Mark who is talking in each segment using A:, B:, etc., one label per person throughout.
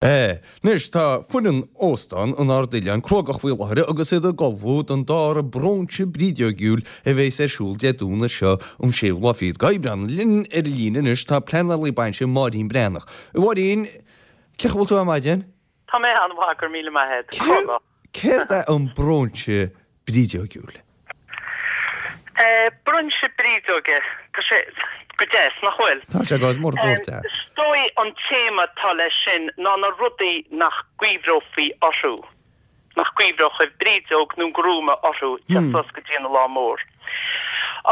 A: Anois tá foireann Óstán an Ardoileáin cruógach faoi láthair agus iad ag ullmhú don dara bróinse brídeogiúil a bheas ar siúl Dé Domhnaigh seo an séú lá fichead d'Aibreán. Linn ar an líne anois tá pleanálaí bainse Máirín Breathnach. A Mháirín, cén chaoi a bhfuil tú ar maidin?
B: Tá mé an-mhaith, go raibh míle maith agat. Cruógach.
A: Céard é an bróinse brídeogiúil?
B: Bróinse brídeoige, tá sé go deas, nach bhfuil?
A: Tá sé go mór mór deas.
B: Is dóigh an téama atá leis sin ná na rudaí nach gcuimhreofaí orthu, nach gcuimhreodh brídeog nó grúma orthu teacht suas go dtí an lá mór.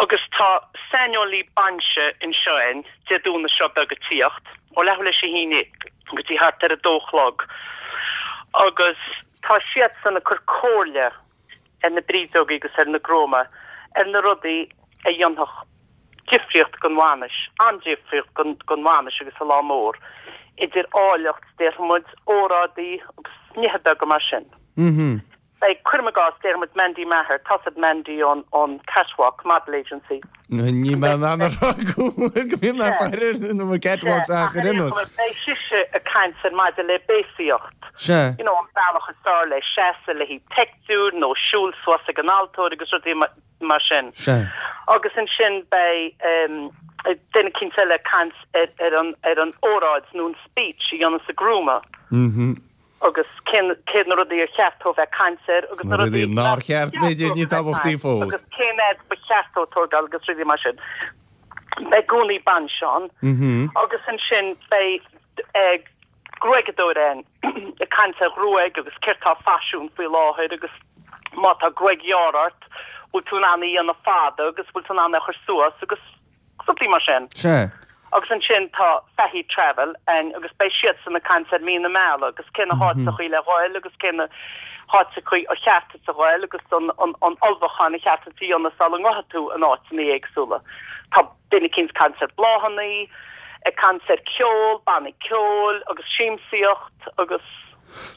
B: Agus tá saineolaí bainse anseo againn Dé Domhnaigh seo beag ag tíocht, ó leathuair leis a haon go dtí thart ar a dó a chlog agus tá siadsan ag cur comhairle ar na brídeogaí agus ar na grúma ar na rudaí a dhéanfadh difríocht don bhainis, an-difríocht don bhainis agus an lá mór, idir áilleacht, déarfaidh muid, óráidí agus nithe beaga mar sin. Beidh, cuirim i gcás, déarfaidh muid Mandy Maher, tá's a'd Mandy ón ón Catwalk Model Agency.
A: Ní mé in ann a rá go bhfuil go mbíonn mé ag faire ar na catwalks ach ar aon nós.
B: Beidh sise ag caint ar maidir le béasaíocht.
A: Sea.
B: You know, an bealach is fearr le seasamh le haghaidh peictiúir nó siúl suas ag an altóir agus rudaí mar sin.
A: Sea.
B: Agus ansin beidh duine eicínt eile ag caint ar ar an ar an óráid nó an speech a dhéananns an grúma.
A: Mhm.
B: Agus cén céard na rudaí ar cheart dó bheith ag caint air agus
A: na rudaí nár cheart, b'fhéidir, níos tábhachtaí fós.
B: Agus cén fhad ba cheart dó tógáil agus rudaí mar sin. Beidh gúnaí bainse ann agus ansin beidh gruaigeadóir ann ag caint ar ghruaig agus céard tá faisiún faoi láthair agus má tá gruaig ghearr ort, bhfuil tú in ann í a dhéanamh fada agus bhfuil tú in ann é a chur suas agus rudaí mar sin.
A: Sea.
B: Agus ansin tá Fahy Travel ann agus beidh siadsan ag caint ar mí na meala agus cé na háiteachaí le ghoil agus cé na háiteachaí ar cheart duit a ghoil agus an an ullmhúchán a cheart duit a dhéanamh sula ngabhfaidh tú in áiteanna éagsúla. Tá duine eicínt ag caint ar bláthannaí, ag caint ar ceol, bannaí ceoil agus siamsaíocht agus.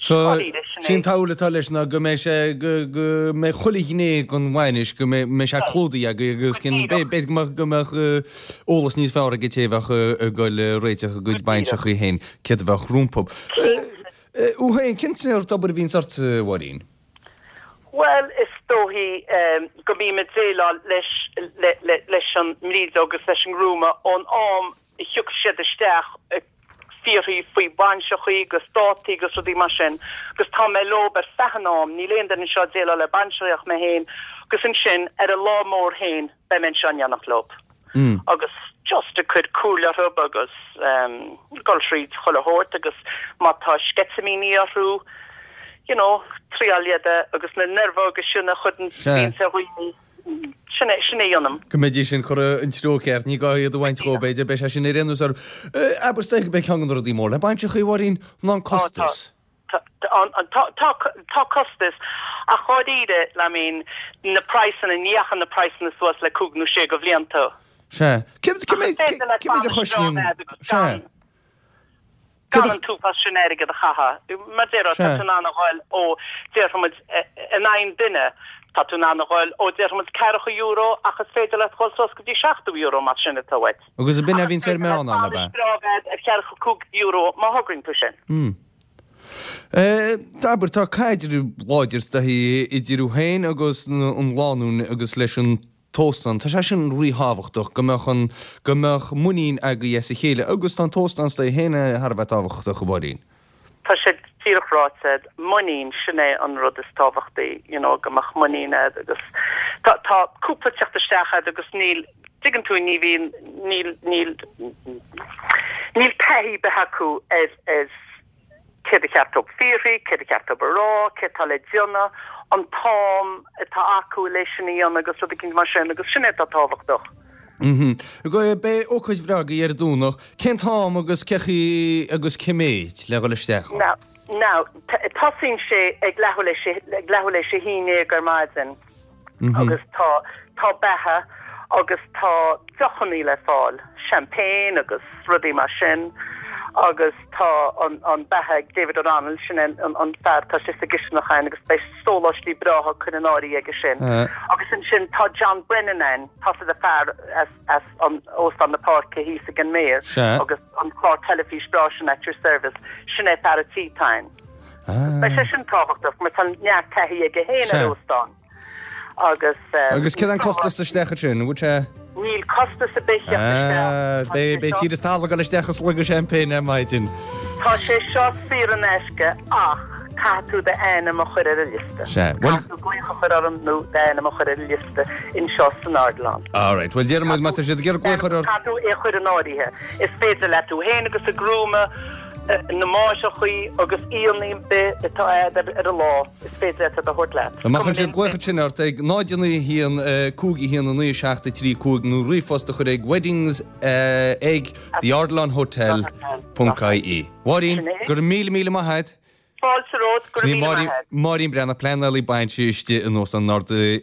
A: So, sí an tsamhail atá leis ná go mbeidh sé, go, go mbeidh chuile ghné den bhainis, go mbeidh, mbeidh sé clúdaithe agaibh agus cinn, b'fhéidir go mbeadh, go mbeadh eolas níos fearr ag an té a bheadh ag dul ag réiteach a gcuid bainseachaí féin, céard a bheadh rompu. Thú féin, cén sórt obair a bhíonns ort, a Mháirín?
B: Bhuel, is dóichí go mbím ag déileáil leis, le, le, leis an mbrídeog agus leis an ngrúma ón am a thiocfaidh siad isteach ag fiafraí faoi bhainseachaí agus dátaí agus rudaí mar sin agus tá mé leob ar feadh an am, níl aon duine anseo ag déileáil le bainseachaí ach mé féin agus ansin ar an lá mór féin beidh mé anseo in éineacht leob agus just ag cur comhairle orthu agus dul thríd chuile shórt agus má tá sceitimíní orthu you know triáil iad a agus na neirmheoga sin a chuireann bíonns ar dhaoine. Sin é, sin é a dhéanaim.
A: Go mbeidís sin curtha an treo ceart, ní gá iad a bhaint dhó, b'fhéidir, beidh sé sin ar aon nós orthu. Abair, is dóigh gurb é ceann de na rudaí mór le bainseachaí, a Mháirín, ná an costas.
B: Tá, tá, tá, tá costas, ach dháiríre, I mean, na praghsanna, ní dheachaigh na praghsanna suas le cúig nó sé de bhlianta.
A: Sea. Cé méid a chosnaíonn, sea.
B: Gan an t-uafás sin airgead a chaitheamh. Mar déarfá, tá tú in ann a ghoil ó, déarfaidh muid, in aghaidh an duine, tá tú in ann a ghoil ó, déarfaidh muid, ceathracha euro ach is féidir leat dhul suas go dtí €70 más sin atá uait.
A: Agus ab in a bhíonns ar meán ann, ab ea?
B: Ach is féidir leat bainis breá a bheith ar cheathracha cúig euro má thograíonn tú sin.
A: Hmm. Abair, tá caidreamh láidir is dóichí idir thú féin agus an lánúin agus leis an t-óstán. Tá sé sin ríthábhachtach, go mbeadh an, go mbeadh muinín agaibh as a chéile agus tá an t-óstán is dóigh féin thar a bheith tábhachtach, a Mháirín.
B: Tá sé díreach ráite a'd, muinín, sin é an rud is tábhachtaí, you know, go mbeadh muinín a'd agus tá, tá cúpla teacht isteach a'd agus níl, dtuigeann tú, ní bhíonn, níl, níl, níl taithí ar bith acu ar, ar, céard a cheart dóibh fiafraí, céard a cheart dóibh a rá, céard atá le déanamh, an t-am atá acu le sin a dhéanamh agus rud eicínt mar sin agus sin é atá tábhachtach.
A: Beidh ócáid bhreá agaibh ar an Domhnach. Cén t-am agus cé chaoi agus cé méid le dhul isteach
B: ann? Now, now, tosaíonn sé ag leathuair leis, ag leathuair leis a haon déag ar maidin. Agus tá, tá beatha agus tá deochannaí le fáil, champagne agus rudaí mar sin. Agus tá an an beatha ag David O'Donnell, sin é an an fear atá istigh sa gcisteanach ann agus beidh sóláistí breátha curtha in áirithe aige sin. Agus ansin tá John Brennan ann, tá sé de fear as as an Óstán na Páirce thíos ag an Méar agus an clár teilifís breá sin At Your Service, sin é fear a tí atá ann. Beidh sé sin tábhachtach mar tá neart taithí aige féin ar óstán.
A: Agus. Agus céard é an costas isteach ansin, an bhfuil sé?
B: Níl costas ar bith theacht
A: isteach. Beidh beidh tír is talamh ag dul isteach i slogadh seaimpéine ar maidin.
B: Tá sé seo saor in aisce ach caithfidh tú d'ainm a chur ar an liosta.
A: Sea, bhuel.
B: Caithfidh tú glaoch a chur orm nó d'ainm a chur ar an liosta anseo san Ardilaun.
A: All right, bhuel déarfaidh muid má tá siad ag iarraidh glaoch a chur ort.
B: Caithfidh tú é a chur in áirithe. Is féidir leat tú féin agus an grúma, na máithreachaí agus aíonna ar bith atá a'd ar an lá. Is féidir leat iad a thabhairt leat.
A: Má chuireann siad glaoch ansin ort ag 0 9 1 5 1 9 7 3 5 nó ríomhphost a chur ag weddings ag theardilaunhotel ponc ie. Máirín, go raibh míle míle maith agat.
B: Fáilte romhat, go raibh míle maith agat.
A: Máirín Breathnach, pleanálaí bainise istigh in Óstán an Ardoileáin.